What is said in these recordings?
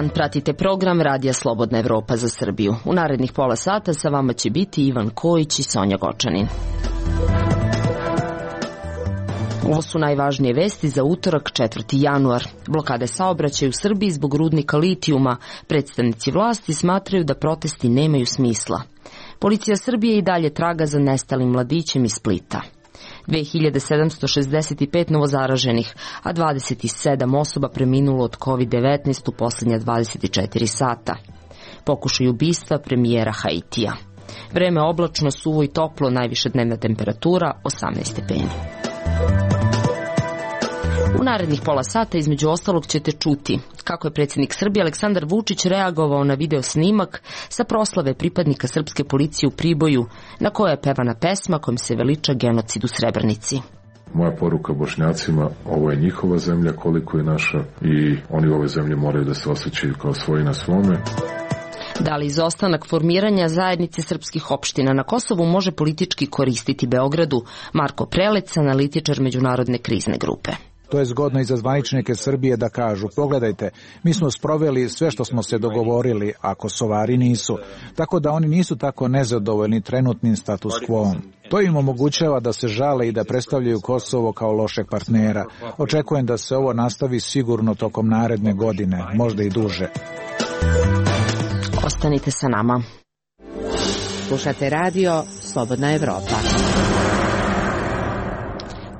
dan, pratite program Radija Slobodna Evropa za Srbiju. U narednih pola sata sa vama će biti Ivan Kojić i Sonja Gočanin. Ovo su najvažnije vesti za utorak 4. januar. Blokade saobraćaja u Srbiji zbog rudnika litijuma. Predstavnici vlasti smatraju da protesti nemaju smisla. Policija Srbije i dalje traga za nestalim mladićem iz Splita. 2765 novozaraženih, a 27 osoba preminulo od COVID-19 u posljednja 24 sata. Pokušaj ubistva premijera Haitija. Vreme oblačno, suvo i toplo, najviša dnevna temperatura 18 stepeni. U narednih pola sata između ostalog ćete čuti kako je predsjednik Srbije Aleksandar Vučić reagovao na video snimak sa proslave pripadnika srpske policije u Priboju, na kojoj je pevana pesma kojom se veliča genocid u Srebrenici. Moja poruka Bošnjacima, ovo je njihova zemlja koliko je naša i oni u ovoj zemlji moraju da se osjećaju kao svoji na svome. Da li izostanak formiranja zajednice srpskih opština na Kosovu može politički koristiti Beogradu? Marko Prelec, analitičar Međunarodne krizne grupe. To je zgodno i za zvaničnike Srbije da kažu, pogledajte, mi smo sproveli sve što smo se dogovorili, a Kosovari nisu, tako da oni nisu tako nezadovoljni trenutnim status quo-om. To im omogućava da se žale i da predstavljaju Kosovo kao lošeg partnera. Očekujem da se ovo nastavi sigurno tokom naredne godine, možda i duže. Ostanite sa nama. Slušate radio Slobodna Evropa.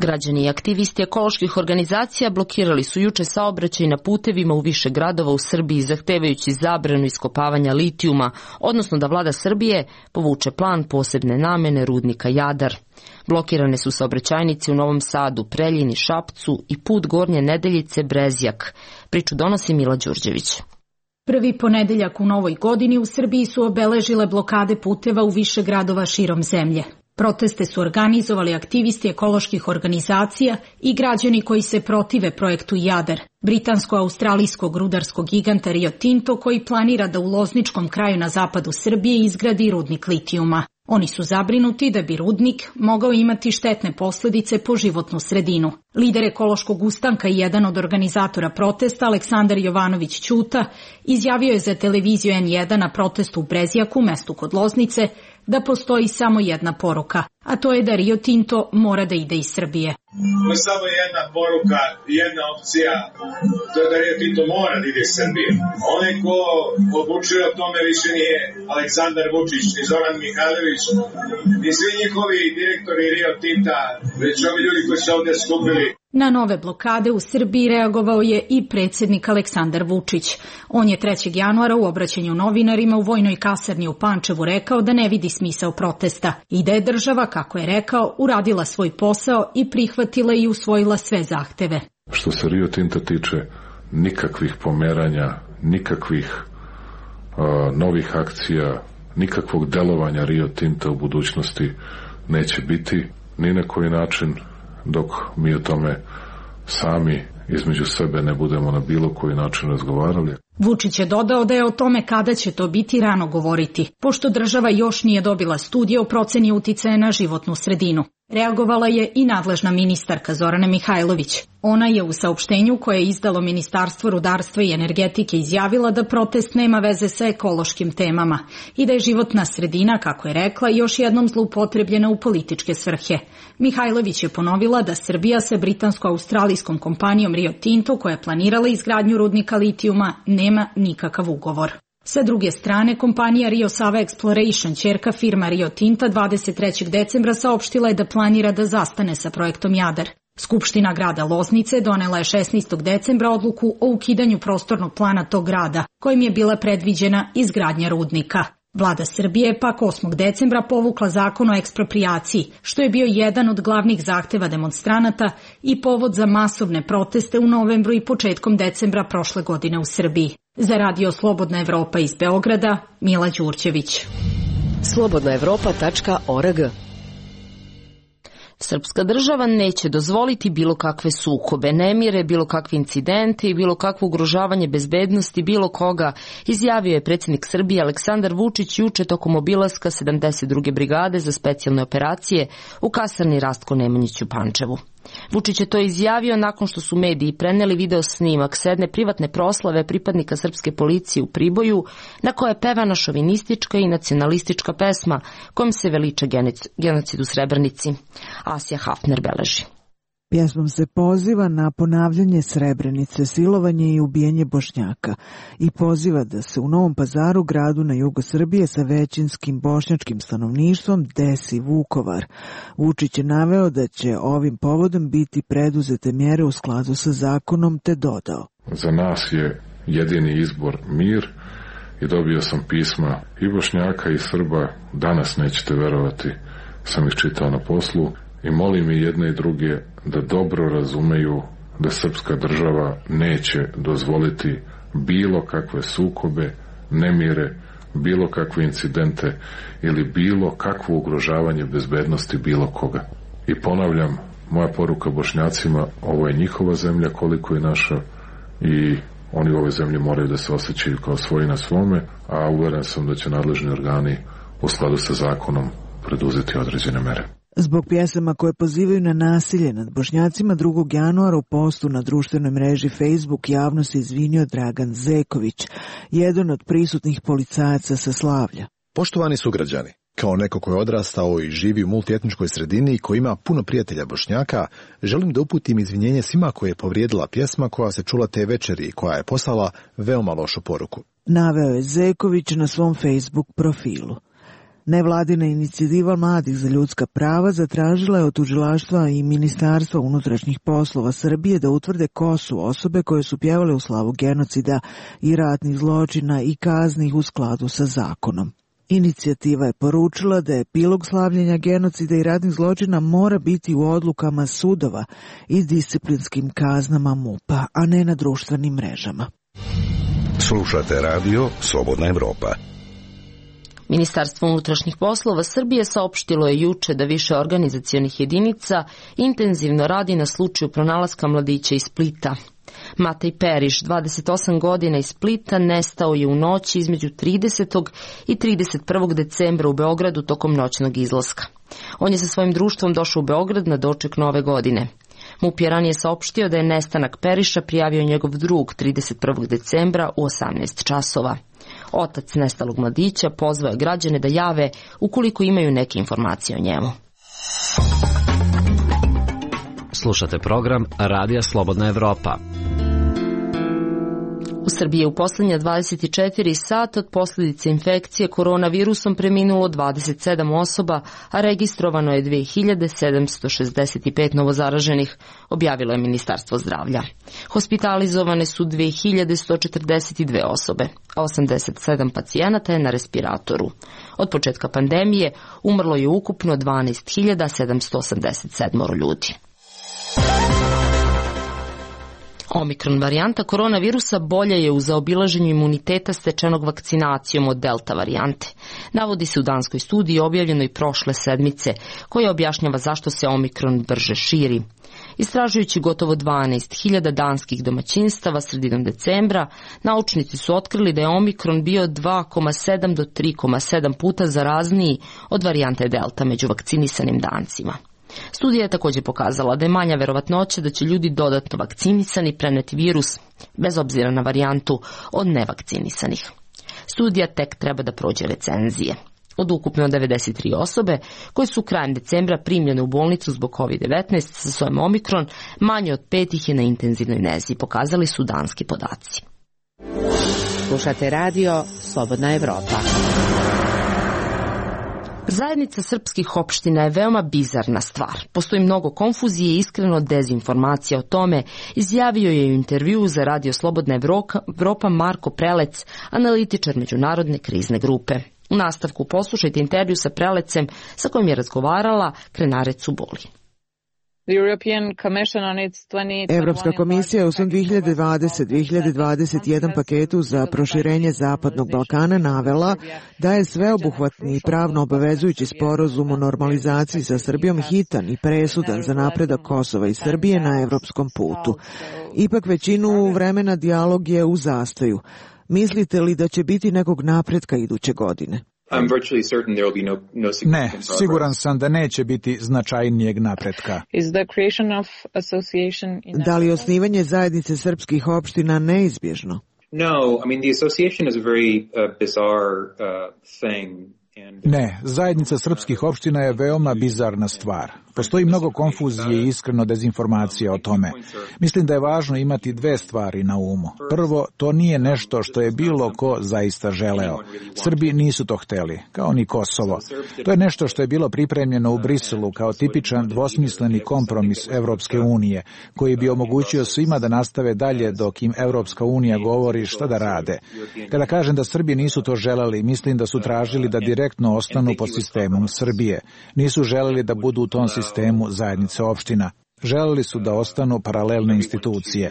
Građani i aktivisti ekoloških organizacija blokirali su juče saobraćaj na putevima u više gradova u Srbiji zahtevajući zabranu iskopavanja litijuma, odnosno da vlada Srbije povuče plan posebne namene rudnika Jadar. Blokirane su saobraćajnice u Novom Sadu, Preljini, Šapcu i put Gornje Nedeljice Brezjak. Priču donosi Mila Đurđević. Prvi ponedeljak u novoj godini u Srbiji su obeležile blokade puteva u više gradova širom zemlje. Proteste su organizovali aktivisti ekoloških organizacija i građani koji se protive projektu Jadar, britansko-australijskog rudarskog giganta Rio Tinto koji planira da u Lozničkom kraju na zapadu Srbije izgradi rudnik litijuma. Oni su zabrinuti da bi rudnik mogao imati štetne posljedice po životnu sredinu. Lider ekološkog ustanka i jedan od organizatora protesta, Aleksandar Jovanović Ćuta, izjavio je za televiziju N1 na protestu u Brezjaku, mestu kod Loznice, da postoji samo jedna poruka, a to je da Rio Tinto mora da ide iz Srbije. To je samo jedna poruka, jedna opcija, to je da Rio Tinto mora da ide iz Srbije. Onaj ko odlučuje o tome više nije Aleksandar Vučić, ni Zoran Mihajlović, ni svi njihovi direktori Rio Tinta, već ovi ljudi koji su ovdje skupili. Na nove blokade u Srbiji reagovao je i predsjednik Aleksandar Vučić. On je 3. januara u obraćanju novinarima u vojnoj kasarni u Pančevu rekao da ne vidi smisao protesta i da je država, kako je rekao, uradila svoj posao i prihvatila i usvojila sve zahteve. Što se Rio Tinta tiče, nikakvih pomeranja, nikakvih novih akcija, nikakvog delovanja Rio Tinta u budućnosti neće biti ni na koji način dok mi o tome sami između sebe ne budemo na bilo koji način razgovarali. Vučić je dodao da je o tome kada će to biti rano govoriti, pošto država još nije dobila studije o proceni uticaja na životnu sredinu. Reagovala je i nadležna ministarka Zorana Mihajlović. Ona je u saopštenju koje je izdalo Ministarstvo rudarstva i energetike izjavila da protest nema veze sa ekološkim temama i da je životna sredina, kako je rekla, još jednom zloupotrebljena u političke svrhe. Mihajlović je ponovila da Srbija sa britansko-australijskom kompanijom Rio Tinto, koja je planirala izgradnju rudnika litijuma, nema nikakav ugovor. Sa druge strane, kompanija Rio Sava Exploration, ćerka firma Rio Tinta, 23. decembra saopštila je da planira da zastane sa projektom Jadar. Skupština grada Loznice donela je 16. decembra odluku o ukidanju prostornog plana tog grada, kojim je bila predviđena izgradnja rudnika. Vlada Srbije je pak 8. decembra povukla zakon o eksproprijaciji, što je bio jedan od glavnih zahteva demonstranata i povod za masovne proteste u novembru i početkom decembra prošle godine u Srbiji. Za radio Slobodna Evropa iz Beograda, Mila Đurđević. slobodnaevropa.org. Srpska država neće dozvoliti bilo kakve sukobe, nemire, bilo kakve incidente i bilo kakvo ugrožavanje bezbednosti bilo koga, izjavio je predsjednik Srbije Aleksandar Vučić juče tokom obilaska 72. brigade za specijalne operacije u kasarni Rastko Nemanjić u Pančevu. Vučić je to izjavio nakon što su mediji preneli video snimak s jedne privatne proslave pripadnika srpske policije u Priboju, na kojoj je pevana šovinistička i nacionalistička pesma kojom se veliča genocid u Srebrenici. Asija Hafner beleži. Pjesmom se poziva na ponavljanje Srebrenice, silovanje i ubijanje Bošnjaka i poziva da se u Novom Pazaru, gradu na jugu Srbije sa većinskim bošnjačkim stanovništvom, desi Vukovar. Vučić je naveo da će ovim povodom biti preduzete mjere u skladu sa zakonom, te dodao: Za nas je jedini izbor mir i dobio sam pisma i Bošnjaka i Srba, danas nećete verovati, sam ih čitao na poslu, i molim i jedne i druge da dobro razumeju da srpska država neće dozvoliti bilo kakve sukobe, nemire, bilo kakve incidente ili bilo kakvo ugrožavanje bezbednosti bilo koga. I ponavljam, moja poruka Bošnjacima, ovo je njihova zemlja koliko je naša i oni u ovoj zemlji moraju da se osjećaju kao svoji na svome, a uveren sam da će nadležni organi u skladu sa zakonom preduzeti određene mere. Zbog pjesama koje pozivaju na nasilje nad Bošnjacima 2. januara u postu na društvenoj mreži Facebook javno se izvinio Dragan Zeković, jedan od prisutnih policajaca sa Slavlja. Poštovani sugrađani, kao neko ko je odrastao i živi u multietničkoj sredini i koji ima puno prijatelja Bošnjaka, želim da uputim izvinjenje svima koje je povrijedila pjesma koja se čula te večeri i koja je poslala veoma lošu poruku. Naveo je Zeković na svom Facebook profilu. Nevladina inicijativa Mladih za ljudska prava zatražila je od tužilaštva i Ministarstva unutrašnjih poslova Srbije da utvrde ko su osobe koje su pjevale u slavu genocida i ratnih zločina i kazni u skladu sa zakonom. Inicijativa je poručila da epilog slavljenja genocida i ratnih zločina mora biti u odlukama sudova i disciplinskim kaznama MUP-a, a ne na društvenim mrežama. Slušate radio Slobodna Evropa. Ministarstvo unutrašnjih poslova Srbije saopštilo je juče da više organizacionih jedinica intenzivno radi na slučaju pronalaska mladića iz Splita. Matej Periš, 28 godina iz Splita, nestao je u noći između 30. i 31. decembra u Beogradu tokom noćnog izlaska. On je sa svojim društvom došao u Beograd na doček nove godine. MUP je ranije saopštio da je nestanak Periša prijavio njegov drug 31. decembra u 18 časova. Otac nestalog mladića pozvao je građane da jave ukoliko imaju neke informacije o njemu. Slušate program Radija Slobodna Evropa. U Srbiji je u posljednja 24 sata od posljedice infekcije koronavirusom preminulo 27 osoba, a registrovano je 2765 novozaraženih, objavilo je Ministarstvo zdravlja. Hospitalizovane su 2142 osobe, a 87 pacijenata je na respiratoru. Od početka pandemije umrlo je ukupno 12.787 ljudi. Omikron varijanta koronavirusa bolja je u zaobilaženju imuniteta stečenog vakcinacijom od delta varijante. Navodi se u danskoj studiji objavljenoj prošle sedmice, koja objašnjava zašto se omikron brže širi. Istražujući gotovo 12.000 danskih domaćinstava sredinom decembra, naučnici su otkrili da je omikron bio 2,7 do 3,7 puta zarazniji od varijante delta među vakcinisanim Dancima. Studija je također pokazala da je manja verovatnoća da će ljudi dodatno vakcinisani preneti virus, bez obzira na varijantu, od nevakcinisanih. Studija tek treba da prođe recenzije. Od ukupno 93 osobe koje su krajem decembra primljene u bolnicu zbog COVID-19 sa sojem omikron, manje od 5 ih je na intenzivnoj nezi, pokazali su danski podaci. Slušate radio Slobodna Evropa. Zajednica srpskih opština je veoma bizarna stvar. Postoji mnogo konfuzije i iskreno dezinformacija o tome, izjavio je u intervjuu za Radio Slobodna Evropa Marko Prelec, analitičar međunarodne krizne grupe. U nastavku poslušajte intervju sa Prelecem sa kojim je razgovarala Krenarec Uboli. Evropska komisija u svom 2020-2021 paketu za proširenje Zapadnog Balkana navela da je sveobuhvatni i pravno obavezujući sporazum o normalizaciji sa Srbijom hitan i presudan za napredak Kosova i Srbije na evropskom putu. Ipak većinu vremena dijalog je u zastoju. Mislite li da će biti nekog napretka iduće godine? Ne, siguran sam da neće biti značajnijeg napretka. Da li osnivanje zajednice srpskih opština neizbježno? Ne, zajednica srpskih opština je veoma bizarna stvar. Postoji mnogo konfuzije i iskreno dezinformacija o tome. Mislim da je važno imati dve stvari na umu. Prvo, to nije nešto što je bilo ko zaista želeo. Srbi nisu to hteli, kao ni Kosovo. To je nešto što je bilo pripremljeno u Briselu kao tipičan dvosmisleni kompromis Evropske unije, koji bi omogućio svima da nastave dalje dok im Evropska unija govori šta da rade. Kada kažem da Srbi nisu to želeli, mislim da su tražili da direktno ostanu pod sistemom Srbije. Nisu želeli da budu u tom sistemu zajednice opština. Želeli su da ostanu paralelne institucije.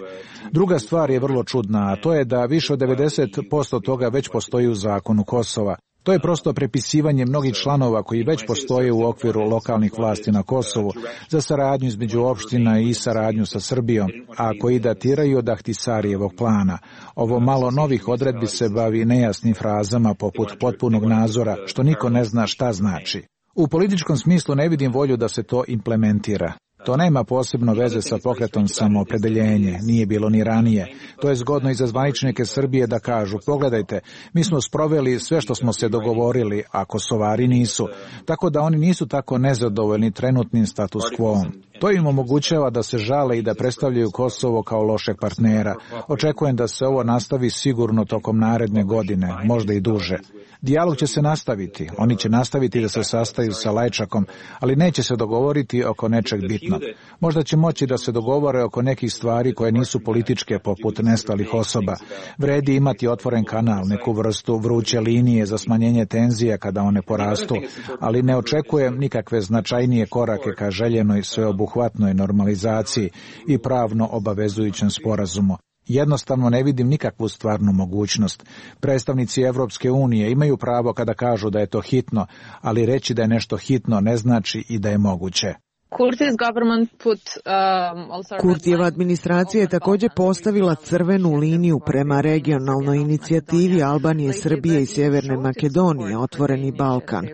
Druga stvar je vrlo čudna, a to je da više od 90% toga već postoji u zakonu Kosova. To je prosto prepisivanje mnogih članova koji već postoje u okviru lokalnih vlasti na Kosovu za saradnju između opština i saradnju sa Srbijom, a koji datiraju od Ahtisarijevog plana. Ovo malo novih odredbi se bavi nejasnim frazama poput potpunog nadzora, što niko ne zna šta znači. U političkom smislu ne vidim volju da se to implementira. To nema posebno veze sa pokretom samoopredeljenje, nije bilo ni ranije. To je zgodno i za zvaničnike Srbije da kažu, pogledajte, mi smo sproveli sve što smo se dogovorili, a Kosovari nisu. Tako da oni nisu tako nezadovoljni trenutnim status quo-om. To im omogućava da se žale i da predstavljaju Kosovo kao lošeg partnera. Očekujem da se ovo nastavi sigurno tokom naredne godine, možda i duže. Dijalog će se nastaviti, oni će nastaviti da se sastaju sa Lajčakom, ali neće se dogovoriti oko nečeg bitnog. Možda će moći da se dogovore oko nekih stvari koje nisu političke poput nestalih osoba. Vredi imati otvoren kanal, neku vrstu vruće linije za smanjenje tenzija kada one porastu, ali ne očekujem nikakve značajnije korake ka željenoj sveobuhvatnoj normalizaciji i pravno obavezujućem sporazumu. Jednostavno ne vidim nikakvu stvarnu mogućnost. Predstavnici Evropske unije imaju pravo kada kažu da je to hitno, ali reći da je nešto hitno ne znači i da je moguće. Kurtijeva administracija je također postavila crvenu liniju prema regionalnoj inicijativi Albanije, Srbije i Sjeverne Makedonije, Otvoreni Balkan.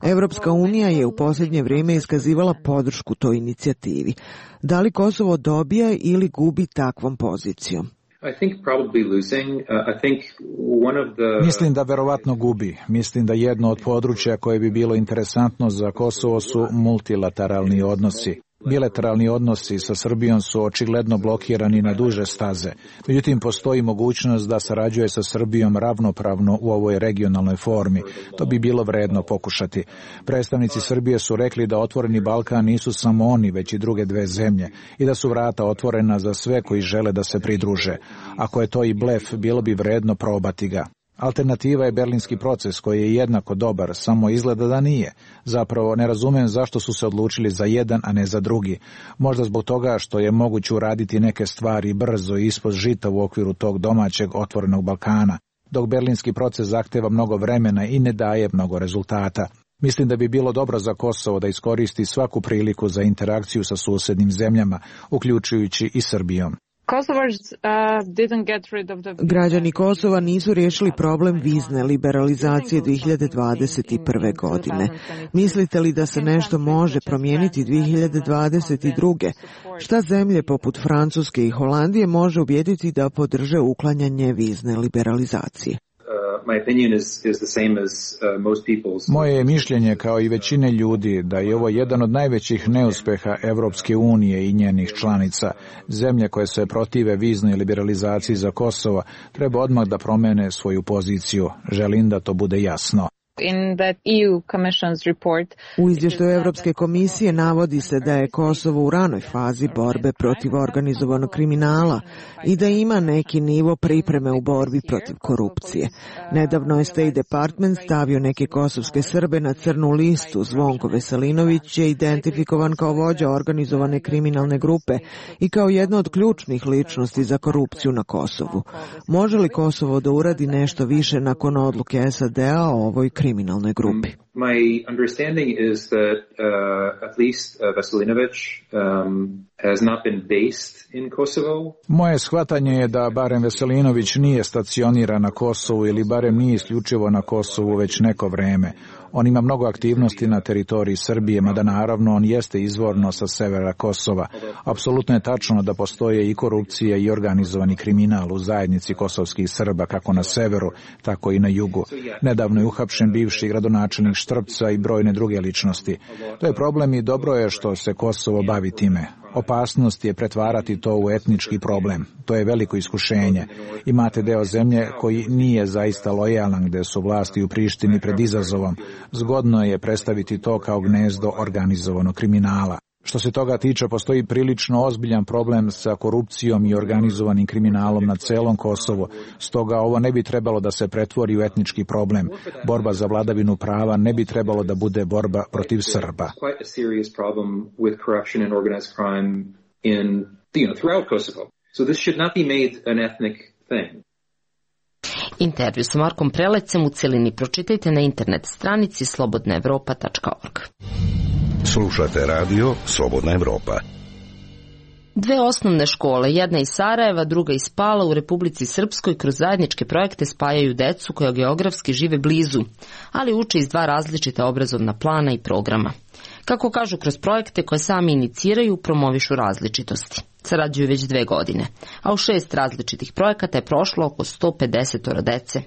Evropska unija je u posljednje vrijeme iskazivala podršku toj inicijativi. Da li Kosovo dobija ili gubi takvom pozicijom? Mislim da verovatno gubi. Mislim da jedno od područja koje bi bilo interesantno za Kosovo su multilateralni odnosi. Bilateralni odnosi sa Srbijom su očigledno blokirani na duže staze. Međutim, postoji mogućnost da sarađuje sa Srbijom ravnopravno u ovoj regionalnoj formi. To bi bilo vredno pokušati. Predstavnici Srbije su rekli da Otvoreni Balkan nisu samo oni, već i druge dve zemlje i da su vrata otvorena za sve koji žele da se pridruže. Ako je to i blef, bilo bi vredno probati ga. Alternativa je berlinski proces koji je jednako dobar, samo izgleda da nije. Zapravo ne razumem zašto su se odlučili za jedan, a ne za drugi. Možda zbog toga što je moguće uraditi neke stvari brzo i ispod žita u okviru tog domaćeg otvorenog Balkana, dok berlinski proces zahteva mnogo vremena i ne daje mnogo rezultata. Mislim da bi bilo dobro za Kosovo da iskoristi svaku priliku za interakciju sa susednim zemljama, uključujući i Srbijom. Građani Kosova nisu riješili problem vizne liberalizacije 2021. godine. Mislite li da se nešto može promijeniti 2022. Šta zemlje poput Francuske i Holandije može ubijediti da podrže uklanjanje vizne liberalizacije? Moje je mišljenje kao i većine ljudi da je ovo jedan od najvećih neuspeha Evropske unije i njenih članica. Zemlje koje se protive viznoj liberalizaciji za Kosovo treba odmah da promene svoju poziciju. Želim da to bude jasno. U izvještaju Evropske komisije navodi se da je Kosovo u ranoj fazi borbe protiv organizovanog kriminala i da ima neki nivo pripreme u borbi protiv korupcije. Nedavno je State Department stavio neke kosovske Srbe na crnu listu. Zvonko Veselinović je identifikovan kao vođa organizovane kriminalne grupe i kao jedna od ključnih ličnosti za korupciju na Kosovu. Može li Kosovo da uradi nešto više nakon odluke SAD-a o ovoj kriminalnoj grupi? My understanding is that at least Veselinović has not been based in Kosovo. Moje shvatanje je da barem Veselinović nije stacioniran na Kosovu ili barem nije isključivo na Kosovu već neko vreme. On ima mnogo aktivnosti na teritoriji Srbije, mada naravno on jeste izvorno sa severa Kosova. Apsolutno je tačno da postoje i korupcija i organizovani kriminal u zajednici kosovskih Srba, kako na severu, tako i na jugu. Nedavno je uhapšen bivši gradonačelnik Štrpca i brojne druge ličnosti. To je problem i dobro je što se Kosovo bavi time. Opasnost je pretvarati to u etnički problem. To je veliko iskušenje. Imate deo zemlje koji nije zaista lojalan, gde su vlasti u Prištini pred izazovom. Zgodno je predstaviti to kao gnezdo organizovanog kriminala. Što se toga tiče, postoji prilično ozbiljan problem sa korupcijom i organizovanim kriminalom na celom Kosovu. Stoga ovo ne bi trebalo da se pretvori u etnički problem. Borba za vladavinu prava ne bi trebalo da bude borba protiv Srba. Intervju sa Markom Prelecem u celini pročitajte na internet stranici slobodnaevropa.org. Slušate radio Slobodna Evropa. Dve osnovne škole, jedna iz Sarajeva, druga iz Pala u Republici Srpskoj, kroz zajedničke projekte spajaju decu koja geografski žive blizu, ali uče iz dva različita obrazovna plana i programa. Kako kažu, kroz projekte koje sami iniciraju, promovišu različitosti. Sarađuju već 2 godine, a u 6 različitih projekata je prošlo oko 150 dece.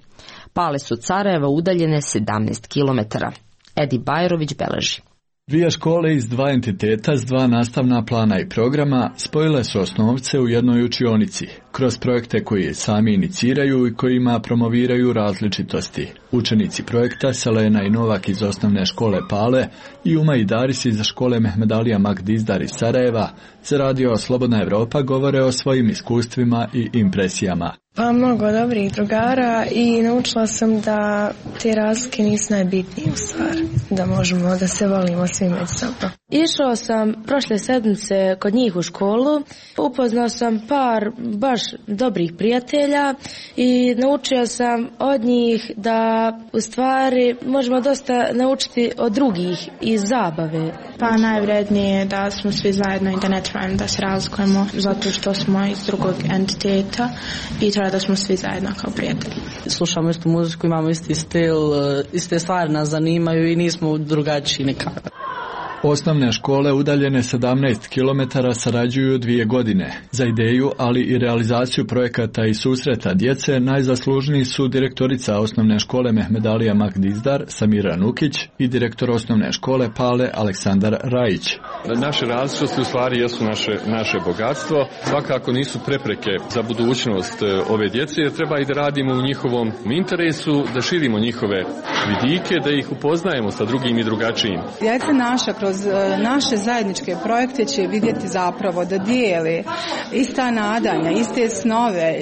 Pale su od Sarajeva udaljene 17 kilometara. Edi Bajrović beleži. Dvije škole iz dva entiteta s dva nastavna plana i programa spojile su osnovce u jednoj učionici, kroz projekte koje sami iniciraju i kojima promoviraju različitosti. Učenici projekta Selena i Novak iz osnovne škole Pale i Uma i Daris iz škole Mehmedalija Magdizdar iz Sarajeva za radio Slobodna Evropa govore o svojim iskustvima i impresijama. Pa mnogo dobrih drugara i naučila sam da te razlike nisu najbitnije u stvari, da možemo da se volimo svi međusobno. Išao sam prošle sedmice kod njih u školu, upoznao sam par baš dobrih prijatelja i naučio sam od njih da u stvari možemo dosta naučiti od drugih iz zabave. Pa najvrednije je da smo svi zajedno i da ne trebamo da se razlikujemo zato što smo iz drugog entiteta i treba da smo svi zajedno kao prijatelji. Slušamo istu muziku, imamo isti stil, iste stvari nas zanimaju i nismo drugačiji nikako. Osnovne škole udaljene 17 km sarađuju 2 godine. Za ideju, ali i realizaciju projekata i susreta djece najzaslužniji su direktorica osnovne škole Mehmedalija Magdizdar Samira Nukić i direktor osnovne škole Pale Aleksandar Rajić. Naše različitosti u stvari jesu naše bogatstvo. Svakako nisu prepreke za budućnost ove djece, jer treba i da radimo u njihovom interesu, da širimo njihove vidike, da ih upoznajemo sa drugim i drugačijim. Djeca naša kroz naše zajedničke projekte će vidjeti zapravo da dijele ista nadanja, iste snove,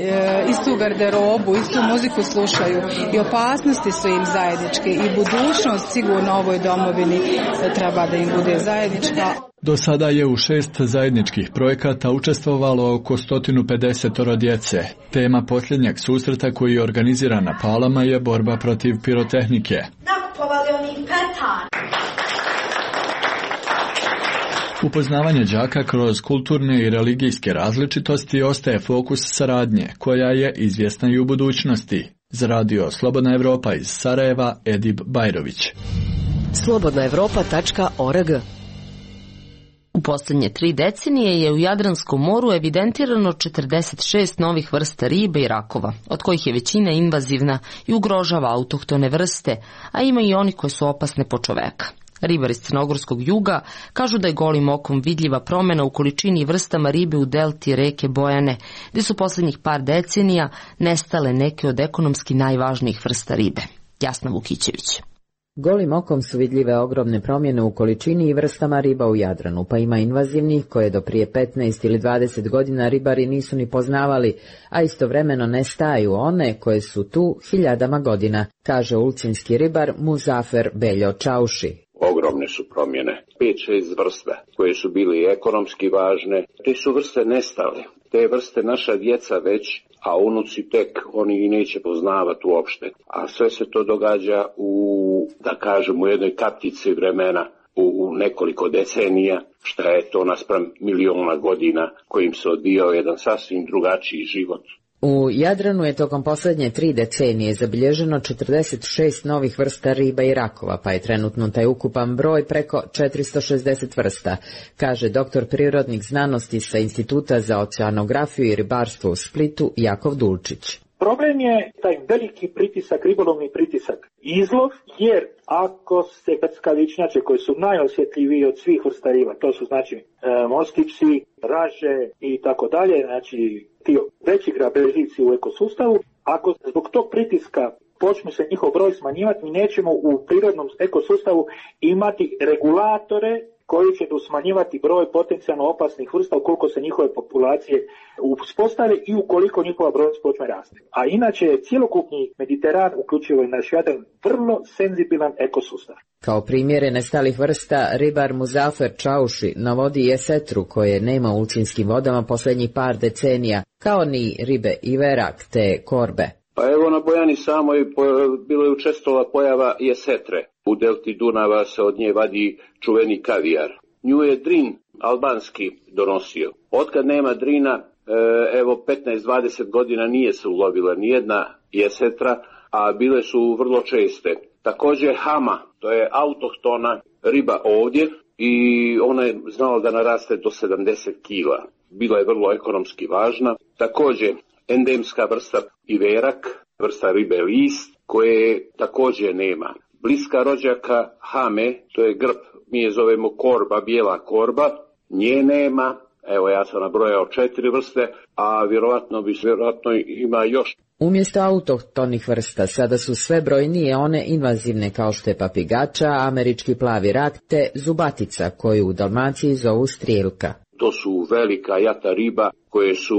istu garderobu, istu muziku slušaju i opasnosti su im zajedničke i budućnost sigurno ovoj domovini treba da im bude zajednička. Do sada je u 6 zajedničkih projekata učestvovalo oko 150 djece. Tema posljednjeg susreta koji je organiziran na Palama je borba protiv pirotehnike. Nakupovali oni petar. Upoznavanje đaka kroz kulturne i religijske različitosti ostaje fokus saradnje, koja je izvjesna i u budućnosti. Za radio Slobodna Evropa iz Sarajeva, Edib Bajrović. slobodnaevropa.org. U posljednje 3 decenije je u Jadranskom moru evidentirano 46 novih vrsta ribe i rakova, od kojih je većina invazivna i ugrožava autohtone vrste, a ima i oni koje su opasne po čoveka. Ribari iz Crnogorskog juga kažu da je golim okom vidljiva promjena u količini i vrstama ribe u delti reke Bojane, gdje su posljednjih par decenija nestale neke od ekonomski najvažnijih vrsta ribe. Jasna Vukićević. Golim okom su vidljive ogromne promjene u količini i vrstama riba u Jadranu, pa ima invazivnih koje do prije 15 ili 20 godina ribari nisu ni poznavali, a istovremeno nestaju one koje su tu hiljadama godina, kaže ulcinski ribar Muzafer Beljo Čauši. Ogromne su promjene. 5-6 vrsta koje su bili ekonomski važne, te su vrste nestale. te vrste naša djeca već, a unuci tek, oni i neće poznavati uopšte. A sve se to događa da kažem, u jednoj kaptici vremena, u nekoliko decenija, šta je to naspram miliona godina kojim se odvijao jedan sasvim drugačiji život. U Jadranu je tokom posljednje 3 decenije zabilježeno 46 novih vrsta riba i rakova, pa je trenutno taj ukupan broj preko 460 vrsta, kaže doktor prirodnih znanosti sa Instituta za oceanografiju i ribarstvo u Splitu Jakov Dulčić. Problem je taj veliki pritisak, ribolovni pritisak, izlov, jer ako se krskavičnjače koji su najosjetljiviji od svih vrsta riba, to su znači morski psi, raže i tako dalje, znači ti veći grabežljivci u ekosustavu, ako zbog tog pritiska počnu se njihov broj smanjivati, mi nećemo u prirodnom ekosustavu imati regulatore koji će smanjivati broj potencijalno opasnih vrsta ukoliko se njihove populacije uspostave i ukoliko njihova broj počne rasti. A inače je cjelokupni Mediteran, uključivo i naš Jadran, vrlo senzibilan ekosustav. Kao primjere nestalih vrsta, ribar Muzafer Čauši navodi jesetru koje nema u ulcinskim vodama posljednjih par decenija, kao ni ribe i verak te korbe. Pa evo na Bojani samoj bilo je učestala pojava jesetre. U delti Dunava se od nje vadi čuveni kavijar. Nju je Drin albanski donosio. Otkad nema Drina, evo 15-20 godina nije se ulovila nijedna jesetra, a bile su vrlo česte. Također hama, to je autohtona riba ovdje i ona je znala da naraste do 70 kila. Bila je vrlo ekonomski važna. Također endemska vrsta iverak, vrsta ribe list, koje također nema. Bliska rođaka hame, to je grb, mi je zovemo korba, bijela korba, nje nema. Evo ja sam nabrojao 4 vrste, a vjerovatno ima još. Umjesto autohtonih vrsta sada su sve brojnije one invazivne kao što je papigača, američki plavi rak te zubatica koju u Dalmaciji zovu strijelka. To su velika jata riba koje su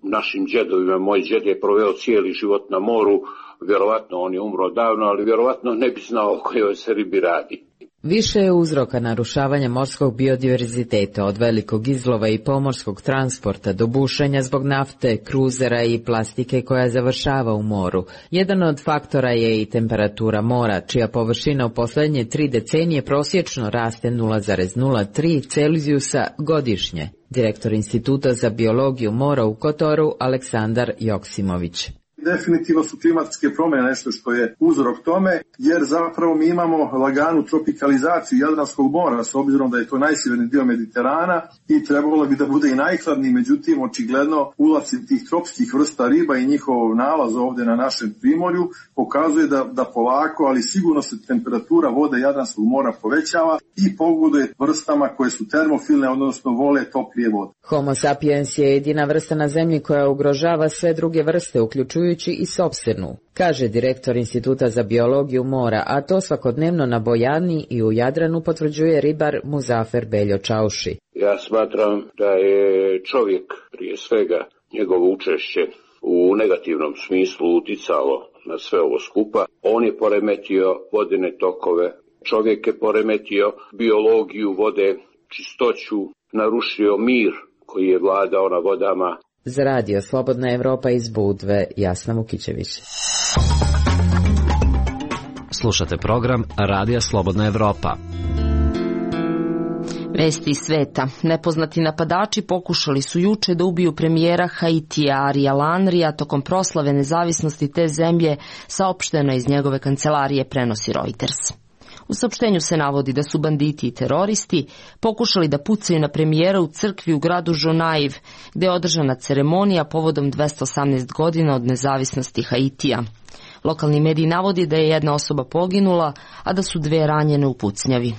našim džedovima, moj džed je proveo cijeli život na moru, vjerovatno on je umro davno, ali vjerovatno ne bi znao o kojoj se ribi radi. Više je uzroka narušavanja morskog biodiverziteta od velikog izlova i pomorskog transporta do bušenja zbog nafte, kruzera i plastike koja završava u moru. Jedan od faktora je i temperatura mora, čija površina u posljednje 3 decenije prosječno raste 0,03 Celzijusa godišnje. Direktor Instituta za biologiju mora u Kotoru Aleksandar Joksimović. Definitivno su klimatske promjene nešto što je uzrok tome, jer zapravo mi imamo laganu tropikalizaciju Jadranskog mora, s obzirom da je to najsjeverni dio Mediterana i trebalo bi da bude i najhladniji, međutim očigledno ulasci tih tropskih vrsta riba i njihov nalaz ovdje na našem primorju pokazuje da polako, ali sigurno se temperatura vode Jadranskog mora povećava i pogoduje vrstama koje su termofilne, odnosno vole toplije vode. Homo sapiens je jedina vrsta na zemlji koja ugrožava sve druge vrste, uključujući i sopstvenu, kaže direktor Instituta za biologiju mora, a to svakodnevno na Bojani i u Jadranu potvrđuje ribar Muzafer Beljo Čauši. Ja smatram da je čovjek prije svega njegovo učešće u negativnom smislu uticalo na sve ovo skupa. On je poremetio vodene tokove, čovjek je poremetio biologiju vode, čistoću, narušio mir koji je vladao na vodama. Za radio Slobodna Evropa iz Budve, Jasna Vukićević. Slušate program Radija Slobodna Evropa. Vesti iz sveta. Nepoznati napadači pokušali su juče da ubiju premijera Haitija Ariela Henrya tokom proslave nezavisnosti te zemlje, saopšteno iz njegove kancelarije, prenosi Reuters. U saopštenju se navodi da su banditi i teroristi pokušali da pucaju na premijera u crkvi u gradu Žonaiv, gde je održana ceremonija povodom 218 godina od nezavisnosti Haitija. Lokalni mediji navodi da je jedna osoba poginula, a da su 2 ranjene u pucnjavi.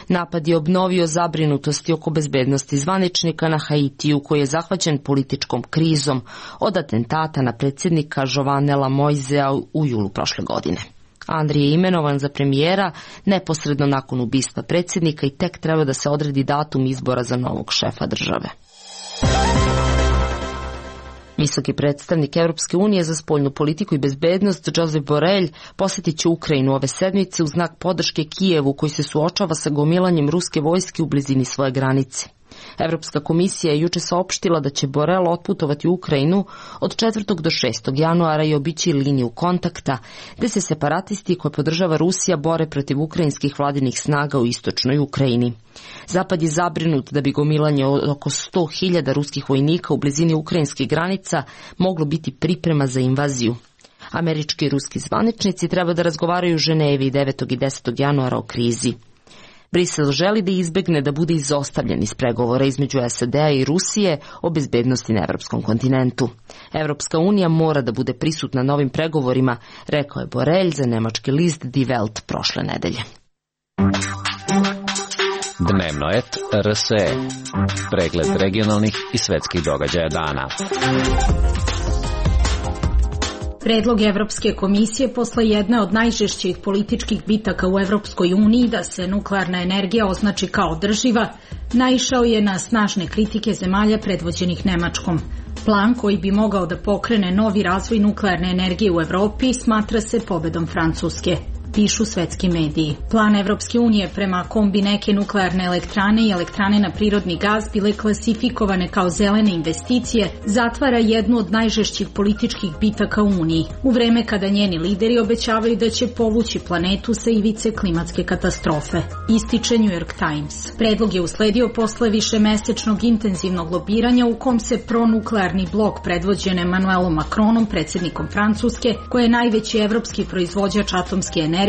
Napad je obnovio zabrinutosti oko bezbednosti zvaničnika na Haitiju, koji je zahvaćen političkom krizom od atentata na predsjednika Jovenela Moisea u julu prošle godine. Henry je imenovan za premijera neposredno nakon ubistva predsjednika i tek treba da se odredi datum izbora za novog šefa države. Visoki predstavnik Europske unije za spoljnu politiku i bezbednost Josep Borrell posjetit će Ukrajinu ove sedmice u znak podrške Kijevu, koji se suočava sa gomilanjem ruske vojske u blizini svoje granice. Evropska komisija je juče saopštila da će Borel otputovati u Ukrajinu od 4. do 6. januara i obići liniju kontakta, gde se separatisti koje podržava Rusija bore protiv ukrajinskih vladinih snaga u istočnoj Ukrajini. Zapad je zabrinut da bi gomilanje oko 100.000 ruskih vojnika u blizini ukrajinskih granica moglo biti priprema za invaziju. Američki i ruski zvaničnici treba da razgovaraju u Ženevi 9. i 10. januara o krizi. Brisel želi da izbegne da bude izostavljen iz pregovora između SAD-a i Rusije o bezbednosti na evropskom kontinentu. Evropska unija mora da bude prisutna na ovim pregovorima, rekao je Borelj za nemački list Die Welt prošle nedelje. Dnevno et RSE. Pregled regionalnih i svetskih događaja dana. Predlog Evropske komisije posle jedne od najžešćih političkih bitaka u Evropskoj uniji da se nuklearna energija označi kao održiva, naišao je na snažne kritike zemalja predvođenih Nemačkom. Plan koji bi mogao da pokrene novi razvoj nuklearne energije u Evropi smatra se pobedom Francuske, pišu svetski mediji. Plan Evropske unije prema kombi neke nuklearne elektrane i elektrane na prirodni gaz bile klasifikovane kao zelene investicije zatvara jednu od najžešćih političkih bitaka u Uniji, u vreme kada njeni lideri obećavaju da će povući planetu sa ivice klimatske katastrofe, ističe New York Times. Predlog je usledio posle višemesečnog intenzivnog lobiranja u kom se pronuklearni blok predvođen Emmanuelom Macronom, predsjednikom Francuske, koji je najveći evropski proizvođač atomske energije,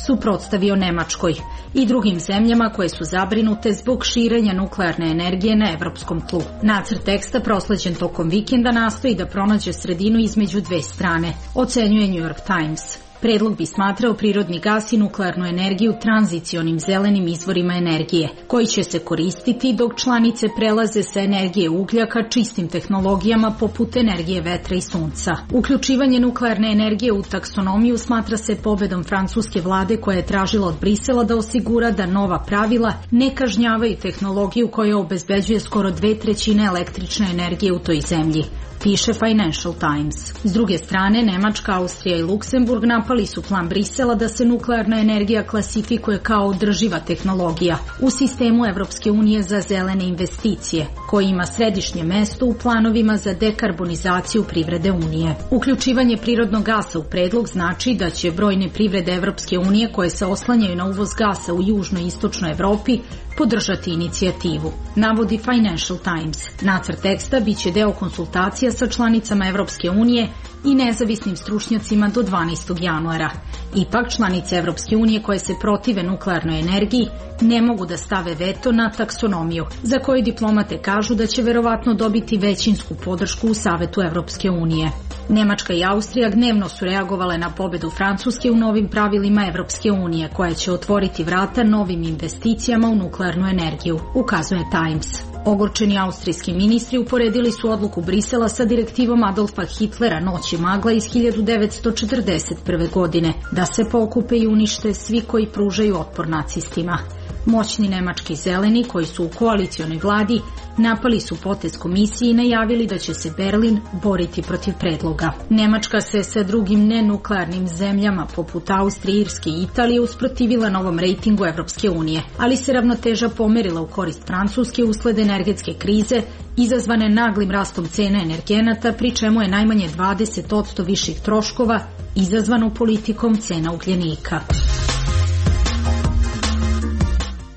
suprotstavio Nemačkoj i drugim zemljama koje su zabrinute zbog širenja nuklearne energije na evropskom tlu. Nacrt teksta prosleđen tokom vikenda nastoji da pronađe sredinu između dve strane, ocenjuje New York Times. Predlog bi smatrao prirodni gas i nuklearnu energiju tranzicionim zelenim izvorima energije, koji će se koristiti dok članice prelaze sa energije uglja ka čistim tehnologijama poput energije vetra i sunca. Uključivanje nuklearne energije u taksonomiju smatra se pobedom francuske vlade koja je tražila od Brisela da osigura da nova pravila ne kažnjavaju tehnologiju koja obezbeđuje skoro 2/3 električne energije u toj zemlji, piše Financial Times. S druge strane, Nemačka, Austrija i Luksemburg napali su plan Brisela da se nuklearna energija klasifikuje kao održiva tehnologija u sistemu Evropske unije za zelene investicije, koji ima središnje mesto u planovima za dekarbonizaciju privrede Unije. Uključivanje prirodnog gasa u predlog znači da će brojne privrede Evropske unije koje se oslanjaju na uvoz gasa u južnoj i istočnoj Evropi podržati inicijativu, navodi Financial Times. Nacrt teksta biće deo konsultacija sa članicama Evropske unije i nezavisnim stručnjacima do 12. januara. Ipak, članice Evropske unije koje se protive nuklearnoj energiji ne mogu da stave veto na taksonomiju, za koju diplomate kažu da će verovatno dobiti većinsku podršku u Savetu Evropske unije. Nemačka i Austrija gnevno su reagovale na pobedu Francuske u novim pravilima Evropske unije, koja će otvoriti vrata novim investicijama u nuklearnu energiju, ukazuje Times. Ogorčeni austrijski ministri uporedili su odluku Brisela sa direktivom Adolfa Hitlera Noći magla iz 1941. godine, da se pokupe i unište svi koji pružaju otpor nacistima. Moćni nemački zeleni, koji su u koalicionoj vladi, napali su potez komisiji i najavili da će se Berlin boriti protiv predloga. Nemačka se sa drugim nenuklearnim zemljama poput Austrije, Irske i Italije usprotivila novom rejtingu Evropske unije, ali se ravnoteža pomerila u korist Francuske usled energetske krize izazvane naglim rastom cena energenata, pri čemu je najmanje 20% viših troškova izazvano politikom cena ugljenika.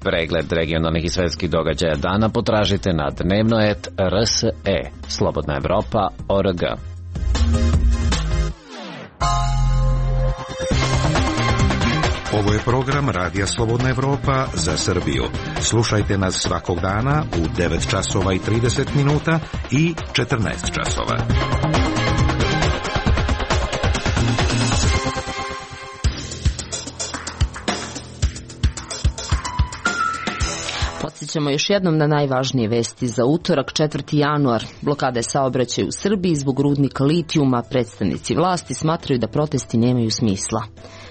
Pregled regionalnih i svetskih događaja dana potražite na dnevno.rs.e, Slobodna Evropa.org. Ovo je program Radija Slobodna Evropa za Srbiju. Slušajte nas svakog dana u 9 časova i 30 minuta i 14 časova. Podsjećamo još jednom na najvažnije vesti za utorak, 4. januar. Blokade saobraćaja u Srbiji zbog rudnika litijuma. Predstavnici vlasti smatraju da protesti nemaju smisla.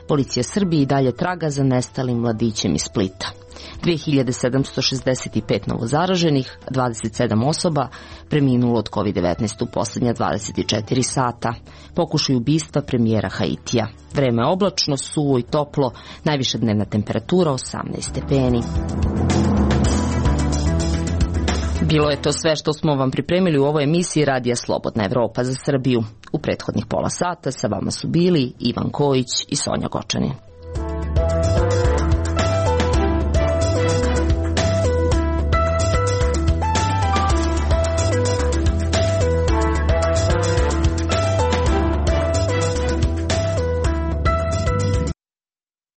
Policija Srbije i dalje traga za nestalim mladićem iz Splita. 2765 novozaraženih, 27 osoba preminulo od COVID-19 u posljednja 24 sata. Pokušaj ubistva premijera Haitija. Vreme oblačno, suvo i toplo, najviša dnevna temperatura 18 stepeni. Bilo je to sve što smo vam pripremili u ovoj emisiji Radija Slobodna Evropa za Srbiju. U prethodnih pola sata sa vama su bili Ivan Kojić i Sonja Gočanin.